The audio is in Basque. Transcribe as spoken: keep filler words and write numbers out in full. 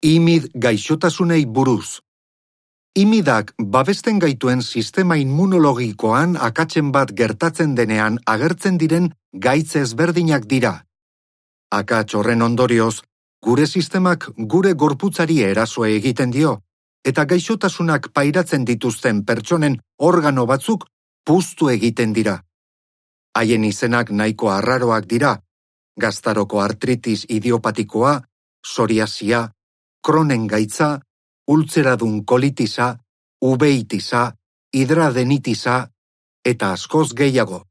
Imid gaixotasunei buruz. Imidak babesten gaituen sistema immunologikoan akatsen bat gertatzen denean agertzen diren gaitz ezberdinak dira. Akats horren ondorioz, gure sistemak gure gorputzari eraso egiten dio, eta gaixotasunak pairatzen dituzten pertsonen organo batzuk puztu egiten dira. Haien izenak nahiko arraroak dira: gaztaroko artritis idiopatikoa, psoriasia, Crohnen gaitza, ultzeradun kolitisa, uveitisa, hidradenitisa, eta askoz gehiago.